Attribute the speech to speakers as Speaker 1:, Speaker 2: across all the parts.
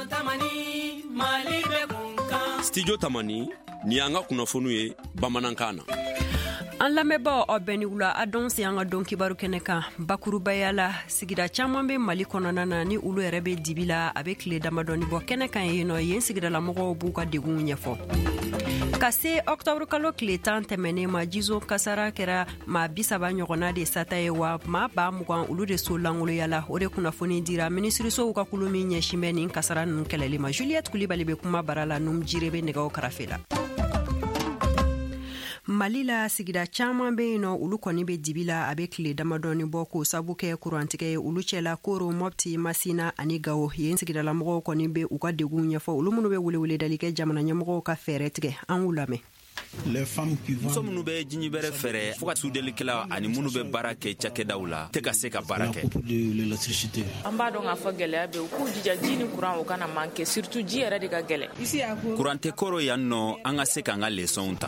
Speaker 1: Tamani, Mali bɛ kun kan.
Speaker 2: Studio Tamani, nin y'an ka kunnafoniw ye bamanankan na.
Speaker 3: An lamɛnbaaw, aw bɛɛ ni wula. A dɔn se an ka don kibaru kɛnɛ kan. Bakurubaya la, sigida caman bɛ Mali kɔnɔna na ni olu yɛrɛ bɛ dibi la a bɛ tile damadɔni bɔ. Kɛnɛ kan yen nɔ, yen sigidalamɔgɔw b'u ka degunw ɲɛfɔ. Ka se ɔktɔburu kalo tile 10 tɛmɛnen ma, jizo kasara kɛra maa 30 ɲɔgɔnna de sata ye, wa maa 20,000 olu de so lankoloya la. O de kunnafoni dira minisirisow ka kulu min ɲɛsin bɛ nin kasara ninnu kɛlɛli ma. Juliette Kulibali bɛ kuma bara la, Num Jire bɛ nɛgɛw karafe la. Mali la, sigida caman bɛ yen nɔ, olu kɔni bɛ dibi la a bɛ tile damadɔni bɔ, k'o sabu kɛ kurantigɛ ye. Olu cɛla Koro, Mɔpti, Masina ani Gawo. Yen sigidalamɔgɔw kɔni bɛ u ka degun ɲɛfɔ, olu minnu bɛ weleweledali kɛ jamana ɲɛmɔgɔw ka fɛɛrɛ tigɛ. An k'u lamɛn.
Speaker 4: Muso minnu bɛ jiɲibɛrɛ fɛrɛ fo ka sudelikɛla ani minnu bɛ baara kɛ cakɛdaw la tɛ ka se ka baara kɛ.
Speaker 5: An b'a dɔn k'a fɔ gɛlɛya bɛ, u k'u jija ji ni kuran o kana manquer, surtout ji yɛrɛ de ka gɛlɛn.
Speaker 4: Kuran tɛ Koro yan nɔ, an ka se k'an ka lesɔnw ta.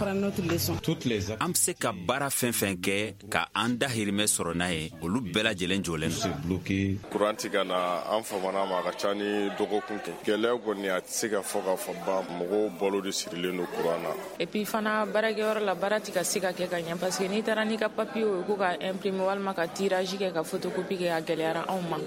Speaker 4: An be se ka baara fɛn fɛn kɛ ka an dahirimɛ sɔrɔ n'a ye, olu bɛɛ lajɛlen jɔlen don.
Speaker 6: Kuran ti ka na, an famana ma, a ka ca ni dɔgɔkun kɛ. Gɛlɛya kɔni, a tɛ se ka fɔ ka fɔ ban. Mɔgɔw balo de sirilen don kuran na.
Speaker 5: Et puis fana, baarakɛyɔrɔ la, baara ti ka se ka kɛ ka ɲɛ, parce que n'i taara n'i ka papier ye ko ka imprimer walima ka tirage kɛ, ka photocopie kɛ, a gɛlɛyara anw ma.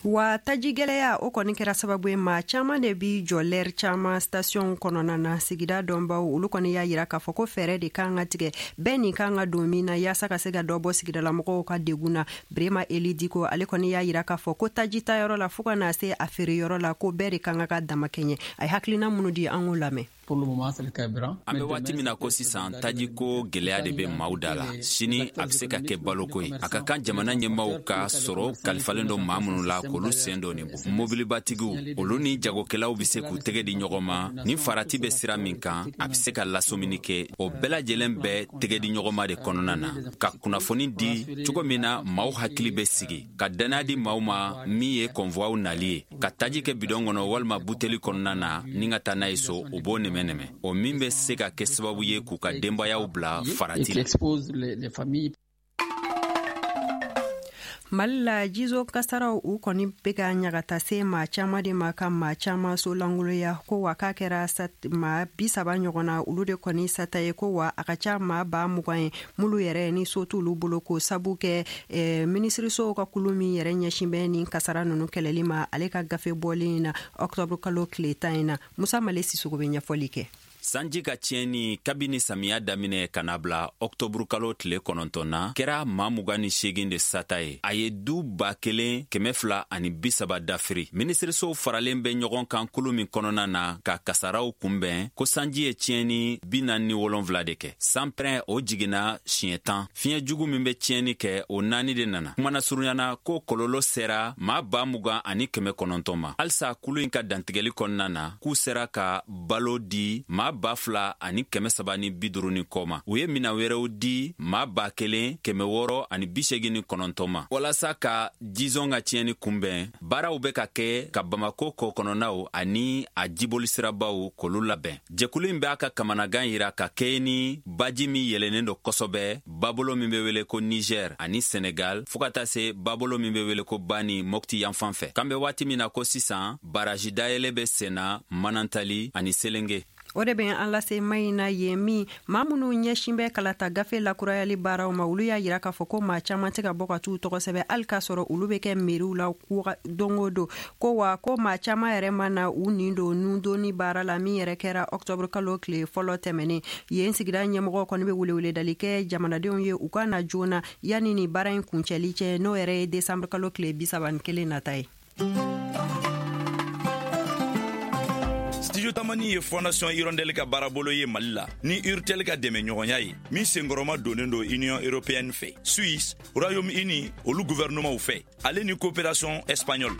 Speaker 3: Wa taji gɛlɛya, o kɔni kɛra sababu ye maa caman de bi jɔ lɛri caman station kɔnɔna na. Sigida dɔnbaw, olu kɔni y'a yira k'a fɔ ko fɛɛrɛ de kan ka tigɛ bɛɛ nin kan ka don min na, yaasa ka se ka dɔ bɔ sigidalamɔgɔw ka degun na. Brema Eli Diko, ale kɔni y'a yira k'a fɔ ko taji tayɔrɔ la fɔɔ ka na se a feereyɔrɔ la, ko bɛɛ de kan ka dama kɛɲɛ. A ye hakilina minnu di, an k'o lamɛn.
Speaker 4: An bɛ waati min na ko sisan, tajiko gɛlɛya de bɛ maaw da la. Sini a bɛ se ka kɛ baloko ye. A ka kan jamana ɲɛmaaw ka sɔrɔ kalifalen don maa minnu la, k'olu sen don nin bɔ. Mobilibatigiw, olu ni jagokɛlaw bɛ se k'u tɛgɛ di ɲɔgɔn ma. Ni farati bɛ sira min kan, a bɛ se ka lasɔmini kɛ. O bɛɛ lajɛlen bɛ tɛgɛ di ɲɔgɔn ma de kɔnɔna na, ka kunnafoni di cogo min na maaw hakili bɛ sigi, ka dannaya di maaw ma. Min ye kɔnfuwaw nali ye ka taji kɛ bidɔn kɔnɔ walima buteli kɔnɔna na ni ka taa n'a ye so, o b'o nɛmɛ-nɛmɛ, o min bɛ se ka kɛ sababu ye k'u ka denbayaw bila farati la.
Speaker 3: Mali la, jizo kasaraw, u kɔni bɛ ka ɲagata se maa caman de ma, ka maa caman so lankoloya. Ko wa k'a kɛra maa 30 ɲɔgɔn na, olu de kɔni sata ye. Ko wa a ka ca maa 20,000 ye minnu yɛrɛ ni so t'olu bolo, k'o sabu kɛ minisirisow ka kulu min yɛrɛ ɲɛsin bɛ nin kasara ninnu kɛlɛli ma, ale ka gafe bɔlen na ɔktɔburu kalo tile 10 in na. Musa Male Sisogo bɛ ɲɛfɔli kɛ.
Speaker 4: Sanji ka tiɲɛni kabini samiya daminɛ ka na bila ɔktɔburukalo tile 9 na kɛra maa 28 de sata ye. A ye du 1230 dafiri. Minisirisow faralen bɛ ɲɔgɔn kan kulu min kɔnɔna na ka kasaraw kunbɛn, ko sanji ye tiɲɛni 47 de kɛ. Sanpɛrɛn, o jiginna siɲɛ 10. Fiɲɛ jugu min bɛ tiɲɛni kɛ, o naani de nana. Kumana surunyana, ko kɔlɔlɔ sera maa 20,900 ma. Halisa kulu in ka dantigɛli kɔnɔna na, k'u sera ka balo di maa 2350 ni kɔ ma. U ye minan wɛrɛw di maa 1689 ma. Walasa ka jizɔn ka tiɲɛni kunbɛn, baaraw bɛ ka kɛ ka Bamako kɔ kɔnɔnaw ani a jibolisirabaw k'olu labɛn. Jɛkulu in b'a ka kamanagan yira ka kɛɲɛ ni baji min yɛlɛnnen don kosɛbɛ, babolo min bɛ wele ko Niger ani Senegal, fɔɔ ka taa se babolo min bɛ wele ko Bani Mɔpti yanfan fɛ. K'an bɛ waati min na ko sisan, baraji dayɛlɛ bɛ senna Manantali ani Selenge.
Speaker 3: O de bɛ an lase Mayina. Yen min maa minnu ɲɛsin bɛ kalata gafe lakurayali baaraw ma, olu y'a yira k'a fɔ ko maa caman tɛ ka bɔ ka t'u tɔgɔ sɛbɛn, hali k'a sɔrɔ olu bɛ kɛ meriw la don o don. Ko wa ko maa caman yɛrɛ ma na u nin don nundonni baara la min yɛrɛ kɛra ɔktɔburu kalo tile fɔlɔ tɛmɛnen. Yen sigida ɲɛmɔgɔ kɔni bɛ weleweledali kɛ jamanadenw ye, u ka na joona yanni ni baara in kuncɛli cɛ, n'o yɛrɛ ye desanburu kalo tile 31 nata ye.
Speaker 7: Studio Tamani ye Fondation Hirondelle ka baarabolo ye Mali la ni Urtel ka dɛmɛ ɲɔgɔnya ye, min senkɔrɔma donnen don Union européenne fɛ, Suisse, Royaume-Uni olu gouvernementw fɛ, ale ni coopération espagnole.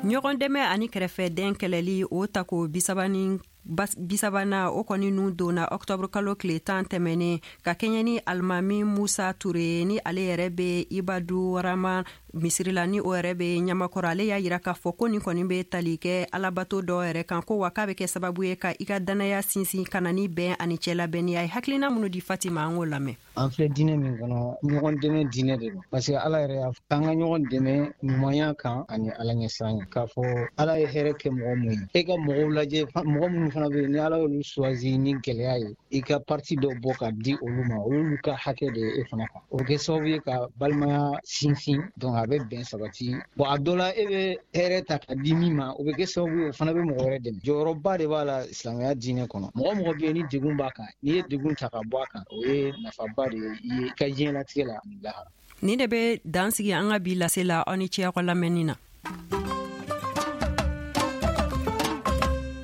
Speaker 3: Ɲɔgɔn dɛmɛ ani kɛrɛfɛdɛn kɛlɛli, o tako bisaba ni bisabana, o kɔni nun donna ɔktɔburu kalo tile 10 tɛmɛnen, ka kɛɲɛ ni Alimami Musa Ture, ni ale yɛrɛ bɛ Ibadu Rama. Misiri la, ni o yɛrɛ bɛ Ɲamakɔrɔ, ale y'a yira k'a fɔ ko nin kɔni bɛ tali kɛ alabato dɔ yɛrɛ kan, ko wa k'a bɛ kɛ sababu ye ka i ka dannaya sinsin, ka na ni bɛn ani cɛlabɛnniya ye. Hakilina minnu di Fatima, an k'o lamɛn.
Speaker 8: An filɛ diinɛ min kɔnɔ, ɲɔgɔn dɛmɛ diinɛ de don, parce que Ala yɛrɛ y'a fɔ k'an ka ɲɔgɔn dɛmɛ ɲumanya kan ani Ala ɲɛsiran, k'a fɔ Ala ye hɛrɛ kɛ mɔgɔ mun ye, e ka mɔgɔw lajɛ, mɔgɔ minnu fana bɛ yen ni Ala y'olu choisi ni gɛlɛya ye, i ka partie dɔ bɔ ka di olu ma. Olu ka hakɛ de ye e fana kan. O bɛ kɛ sababu ye ka balimaya sinsin, donc a bɛ bɛn sabati. Bon, a dɔ la, e bɛ hɛrɛ ta ka di min ma, o bɛ kɛ sababu ye o fana bɛ mɔgɔ wɛrɛ dɛmɛ. Jɔyɔrɔba de b'a la silamɛya diinɛ kɔnɔ. Mɔgɔ mɔgɔ bɛ yen ni degun b'a kan, n'i ye degun ta ka bɔ a kan, o ye nafaba de ye i ye i ka diɲɛlatigɛ la ani lahara.
Speaker 3: Nin de bɛ dan sigi an ka bi lase la. Aw ni ce aw ka lamɛnni na.